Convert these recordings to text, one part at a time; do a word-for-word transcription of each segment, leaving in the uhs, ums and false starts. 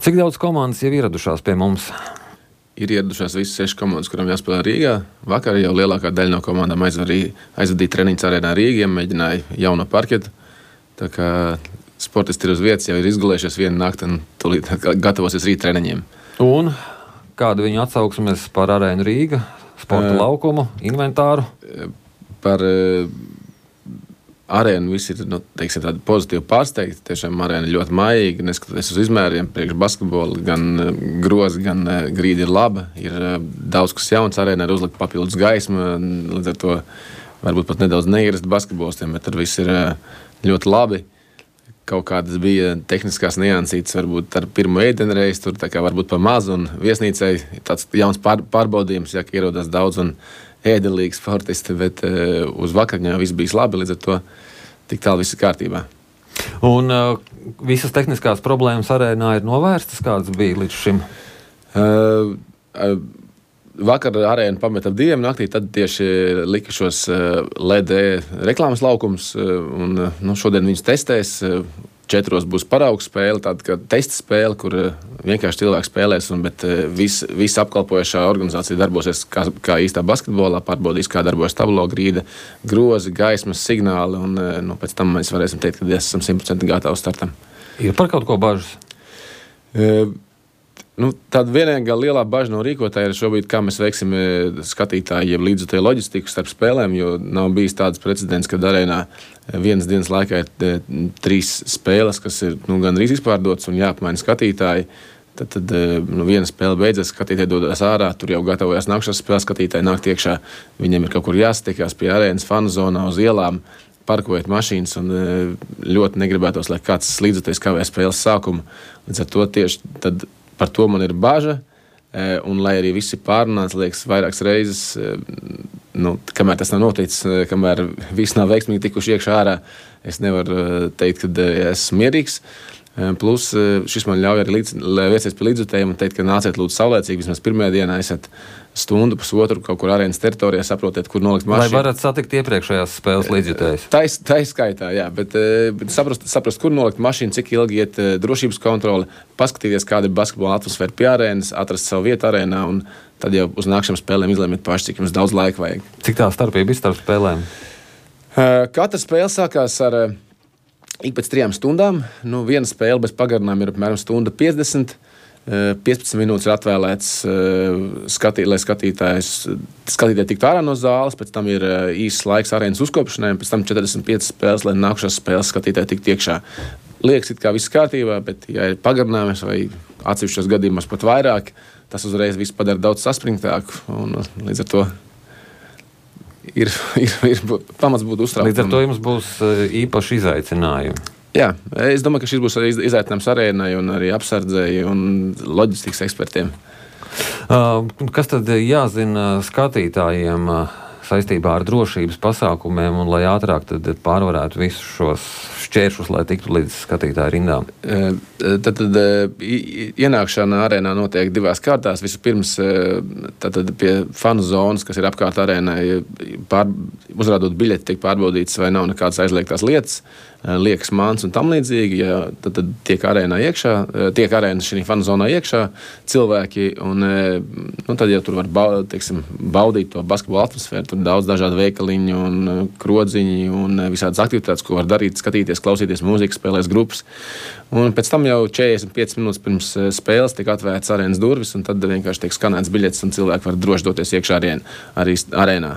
Cik daudz komandas jau ieradušās pie mums? Ir ieradušās visas sešas komandas, kurām jāspēlē Rīgā. Vakar jau lielākā daļa no komandām aizvadīja treniņus arēnā Rīgā, mēģināja jauno parketu. Tā kā sportisti ir uz vietas, jau ir izgulējušies vienu nakti un tūlīt gatavosies rīt treniņiem. Un kādu viņu atsauksmes par arēnu Rīga, sporta uh, laukumu, inventāru? Par uh, arēnu visi ir, nu, teiksim, tādi pozitīvi pārsteigti. Tiešām arēna ļoti mājīga, neskatoties uz izmēriem, priekš basketbolu, gan uh, grozi, gan uh, grīdi ir laba. Ir uh, daudz kas jauns arēnā, ir uzlikt papildus gaisma, līdz ar to varbūt pat nedaudz neierasti basketbolistiem, bet tur viss ir uh, ļoti labi. Kaut kādas bija tehniskās niansītes, varbūt ar pirmo ēdienreizi, tur tā kā varbūt pa mazu, un viesnīcai tāds jauns pār, pārbaudījums, ja ierodās daudz un ēdelīgi sportisti, bet uh, uz vakarņā viss bijis labi, līdz ar to tik tālu viss ir kārtībā. Un uh, visas tehniskās problēmas arēnā ir novērstas, kādas bija līdz šim? Uh, uh, vakar arēnu pameta ap diviem naktī, tad tieši lika šos uh, L E D reklāmas laukums, uh, un uh, nu, šodien viņus testēs. Uh, Četros būs paraugs spēle, tāda kā testa spēle, kur uh, vienkārši cilvēki spēlēs, un, bet uh, visa vis apkalpojošā organizācija darbosies kā, kā īstā basketbolā, pārbaudīs, kā darbojas tablo, grīda, grozi, gaismas, signāli, un uh, nu, pēc tam mēs varēsim teikt, ka esam simt procenti gatavi startam. Ir par kaut ko bažas? Uh, Nu, tāda vienīgā lielā bažas no rīkotāja ir šobrīd, kā mēs veiksim skatītāju, jeb līdzjutēju loģistiku starp spēlēm, jo nav bijis tāds precedents, ka arēnā vienas dienas laikā ir trīs spēles, kas ir nu, gandrīz izpārdotas un jāapmaina skatītāji. Tad, tad nu, viena spēle beidzas, skatītāji dodas ārā, tur jau gatavojas nākšās spēles, skatītāji nāk iekšā, viņiem ir kaut kur jāsatiekās pie arēnas fanu zonā uz ielām, parkojot mašīnas, un ļoti negribētos, lai kāds līdzjutējs kavē spēles sākumu. Līdz ar to tieši tad par to man ir baža, un lai arī visi pārunāts, liekas, vairākas reizes, nu, kamēr tas nav noticis, kamēr visi nav veiksmīgi tikuši iekšā ārā, es nevaru teikt, ka esmu mierīgs. Plus šis man ļauj arī līdz, vērsties pie līdzjutējiem un teikt, ka nāciet lūdzu saulēcīgi, vismaz pirmajā dienā esat stundu, pusotru kaut kur arēnas teritorijā, saprotiet, kur nolikt mašīnu. Lai varat satikt iepriekšējās spēles līdzjutējus. Tā ir skaitā, jā, bet, bet saprast, saprast, kur nolikt mašīnu, cik ilgi iet drošības kontrole, paskatīties, kāda ir basketbola atmosfēra pie arēnas, atrast savu vietu arēnā, un tad jau uz nākšām spēlēm izlēmiet paši, cik jums daudz laika vajag. Cik tā starpība ir starp spēlēm? Katra spēle sākās ar ik pēc trijām stundām. Nu, viena spēle bez pagarinājuma ir apmēram stunda piecdesmit. piecpadsmit minūtes ir atvēlēts, skatī, lai skatītājs, skatītāji tiktu ārā no zāles, pēc tam ir īsts laiks arēnas uzkopšanai, pēc tam četrdesmit piecas spēles, lai nākušās spēles skatītāji tiktu iekšā. Liekas, it kā viss kārtībā, bet, ja ir pagarinājums vai atsevišķos gadījumos pat vairāk, tas uzreiz viss padara daudz saspringtāku, un līdz ar to ir, ir, ir pamats būt uztraukumam. Līdz ar to jums būs īpaši izaicinājumi. Jā, es domāju, ka šis būs arī izaicinājums arēnai un arī apsardzēji un loģistikas ekspertiem. Uh, kas tad jāzina skatītājiem uh, saistībā ar drošības pasākumiem un lai ātrāk tad pārvarētu visus šos šķēršus, lai tiktu līdz skatītāju rindām? Uh, tad, tad ienākšana arēnā notiek divās kārtās. Vispirms tad, tad pie fanu zonas, kas ir apkārt arēnai, pār, uzrādot biļeti, tiek pārbaudīts, vai nav nekādas aizliegtās lietas, liekas mans un tam līdzīgi, ja tad, tad tiek arēnā iekšā, tiek arēna šī fanu zonā iekšā cilvēki, un nu, tad jau tur var baudīt, teiksim, baudīt to basketbola atmosfēru, tur daudz dažādu veikaliņu un krodziņu un visādas aktivitātes, ko var darīt, skatīties, klausīties mūziku, spēlēs grupas. Un pēc tam jau četrdesmit piecas minūtes pirms spēles tiek atvērts arēnas durvis, un tad vienkārši tiek skanēts biļetes, un cilvēki var droši doties iekšā arēnā. Arī arēnā.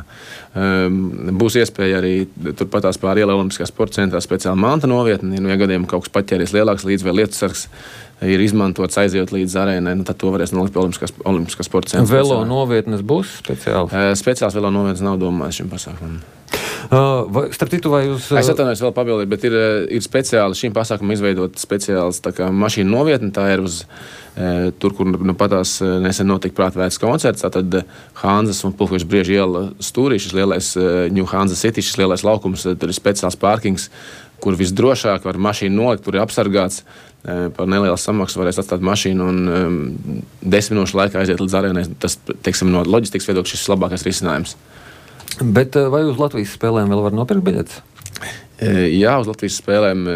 Um, būs iespēja arī turpatās pār ielai Olimpiskā sporta centrā speciāli manta novietni, nu, ja gadījumā kaut kas paķēries lielāks līdz vai lietusargs ir izmantots aizejot līdz arēnai, nu, tad to varēs nolikt pie Olimpiskā, Olimpiskā sporta centra. Velo novietnes būs speciāli? Uh, speciāls velo novietnes nav domāts šim pasākumam. Uh, vai, starp citu, vai jūs... Es atvainojos vēl pabildīt, bet ir, ir speciāli šīm pasākumam izveidot speciāls tā kā mašīnu novietni. Tā ir uz e, tur, kur nu, patās nesen notika prātvētas koncerts. Tātad Hanzas un Pulkveža Brieža iela stūrī, šis lielais New Hanza City, šis lielais laukums, tur ir speciāls pārkings, kur visdrošāk var mašīnu nolikt, tur ir apsargāts. E, par nelielu samaksu varēs atstāt mašīnu un um, desmit minūšu laikā aiziet līdz arēnai. Tas, teiksim, no loģistikas viedokļa šis labākais risinājums. Bet vai uz Latvijas spēlēm vēl var nopirkt biļetes? Jā, uz Latvijas spēlēm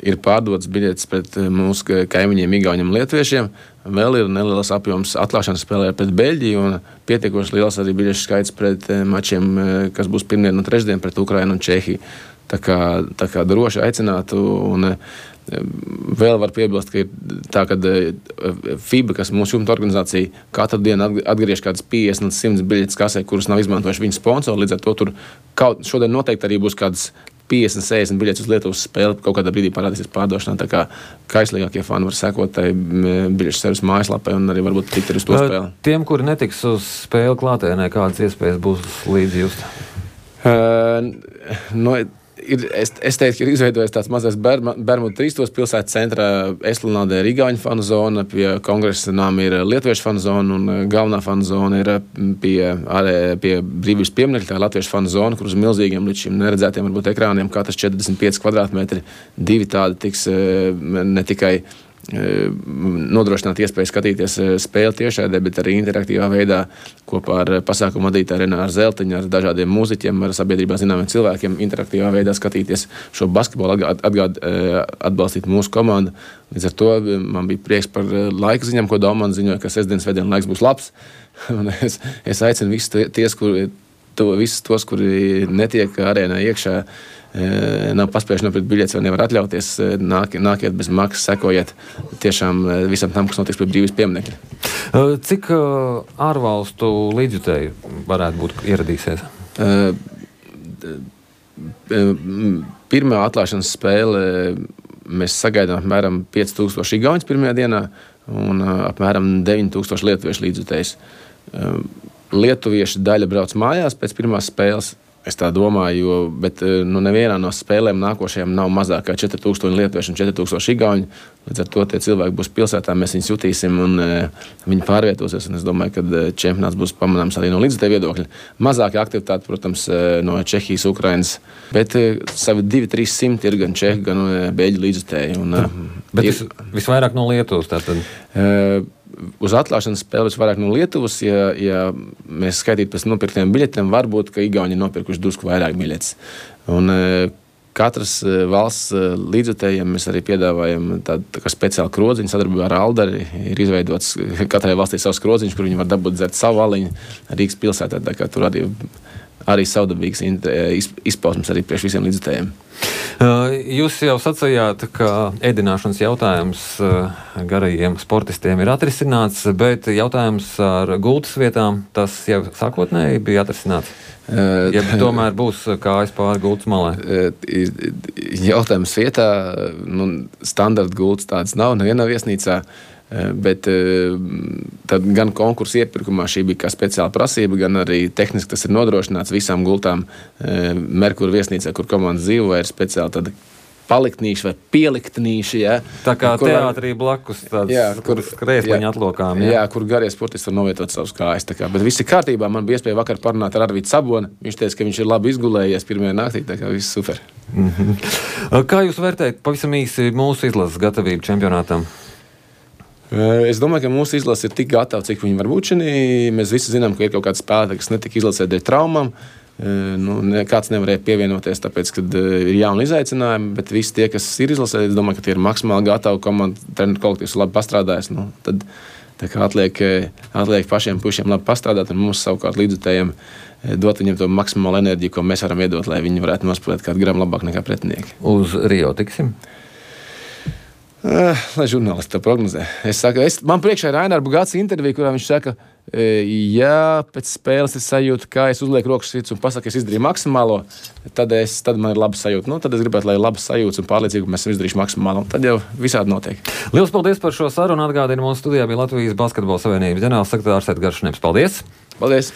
ir pārdotas biļetes pret mūsu kaimiņiem, Igauņiem un Lietuviešiem. Vēl ir neliels apjoms atklāšanas spēlē pret Beļģiju un pietiekoši liels arī biļešu skaits pret mačiem, kas būs pirmdien un trešdien pret Ukrainu un Čehiju. Tā kā, tā kā droši aicinātu. Un vēl var piebilst, ka ir tā, ka FIBA, kas mūsu jumta organizācija, katru dienu atgriež kādas piecdesmit līdz simt biļetes kasē, kuras nav izmantojuši viņu sponsori. Līdz ar to tur kaut, šodien noteikti arī būs kādas piecdesmit, sešdesmit biļetes uz Lietuvas spēli. Kaut kādā brīdī parādīsies pārdošanā. Tā kā kaislīgākie fani var sekot tai biļešu servis mājaslapai un arī varbūt tikt arī uz to spēli. Tiem, kuri netiks uz spēli klātienē, kādas iespējas būs līdzi just? Uh, no, Ir, es, es teiktu, ka ir izveidojies tāds mazais Bermudu trīstos pilsētas centrā. Esplanādē ir Igauņu fanu zona, pie kongresa nāma ir Lietuviešu fanu zona un galvenā fanu zona ir pie, pie brīvības pieminekļa, tā Latviešu fanu zona, kur uz milzīgiem līdz šim neredzētiem varbūt ekrāniem katrs četrdesmit pieci kvadrātmetri. Divi tādi tiks ne tikai nodrošināt iespēju skatīties spēli tiešādē, bet arī interaktīvā veidā kopā ar pasākumu vadītāju Renāru Zeltiņu, ar dažādiem mūziķiem, ar sabiedrībā zināmiem cilvēkiem interaktīvā veidā skatīties šo basketbolu, atgād, atbalstīt mūsu komandu. Līdz ar to man bija prieks par laika ziņām, ko Daumans ziņoja, ka sestdienas svētdien laiks būs labs. Un es, es aicinu visus, ties, kuri, to, visus tos, kuri netiek arēnā iekšā, nav paspējuši nopirkt biļetes vai nevar atļauties, nāk, nākiet bez maksas, sekojiet tiešām visam tam, kas notiks pie brīvības pieminekļa. Cik ārvalstu līdzjutēji varētu būt ieradīsies? Pirmā atklāšanas spēle mēs sagaidām apmēram pieci tūkstoši igauņus pirmajā dienā un apmēram deviņi tūkstoši lietuviešu līdzjutējus. Lietuvieši daļa brauc mājās pēc pirmās spēles. Es tā domāju, jo, bet nu, nevienā no spēlēm nākošajām nav mazāk kā četri tūkstoši lietuviešu un četri tūkstoši igauņu. Līdz ar to tie cilvēki būs pilsētā, mēs viņus jutīsim un e, viņi pārvietosies. Un es domāju, ka čempionāts būs pamanāms arī no līdzjutēju viedokļa. Mazāka aktivitāte, protams, no Čehijas, Ukrainas, bet e, savi divi trīs simti ir gan čehi, gan e, beļģu līdzjutēji. Un, e, bet ir, vis, visvairāk no Lietuvas tātad? E, Uz atklāšanas spēles vairāk no Lietuvas, ja, ja mēs skaitītu pēc nopirktiem biļetēm, varbūt, ka Igauņi nopirkuši drusku vairāk biļetes. Un katras valsts līdzjutējiem mēs arī piedāvājam tādu tā kā speciālu krodziņu sadarbībā ar Aldari. Ir izveidots katrai valstī savs krodziņš, kur viņi var dabūt dzert savu aliņu Rīgas pilsētā. Tā kā tur arī, arī savdabīgs izpausmes arī priekš visiem līdzjutējiem. Jūs jau sacījāt, ka ēdināšanas jautājums garajiem sportistiem ir atrisināts, bet jautājums ar gultas vietām, tas jau sākotnēji bija atrisināts? Ja tomēr būs kājas pāri gultas malē? Jautājums vietā, nu, standarta gultas tādas nav, nevienā viesnīcā. Bet tad gan konkursu iepirkumā šī bija kā speciāla prasība, gan arī tehniski tas ir nodrošināts visām gultām Merkura viesnīcā, kur komandas dzīvo, ir speciāli tāda paliktnīši vai pieliktnīši. Ja, tā kā kur, teātrī blakus tāds, jā, kur krēsliņa atlokām. Jā. jā, kur garie sportisti var novietot savus kājas. Tā kā, bet viss ir kārtībā. Man bija iespēja vakar parunāt ar Arvītu Saboni. Viņš teica, ka viņš ir labi izgulējies pirmajā naktī, tā kā viss super. Mm-hmm. Kā jūs vērtējat pavisam īsi mūsu izlases gatavību čempionātam? Es domāju, ka mūsu izlase ir tik gatava, cik viņi var būt šinī. Mēs visi zinām, ka ir kaut kāda spēlētāja, kas netika izlasē dēļ traumām. Nu, kāds nevarēja pievienoties, tāpēc, kad ir jauni izaicinājumi, bet visi tie, kas ir izlasē, es domāju, ka tie ir maksimāli gatavi, komanda, treneru kolektīvs labi pastrādājis. Nu, tad tā kā atliek, atliek pašiem pušiem labi pastrādāt un mums savukārt līdzjutējiem dot viņiem to maksimālu enerģiju, ko mēs varam iedot, lai viņi varētu nospēlēt kādu gramu labāk nekā pretinieki. Uz Rio tiksim? Uh, lai žurnālisti to prognozē. Es saku, es, man priekšā ir Raināra Bugāts intervija, kurā viņš saka, ja pēc spēles es sajūtu, kā es uzlieku rokas sirds un pasaku, es izdarīju maksimālo, tad, es, tad man ir laba sajūta. Nu, tad es gribētu, lai ir laba sajūta un pārliecība, ka mēs esam izdarījuši maksimālo. Tad jau visādi notiek. Lielas paldies par šo sarunu. Atgādinu, mūsu studijā bija Latvijas Basketbola Savienības ģenerālsekretārs Edgars Šneps. Paldies! Paldies!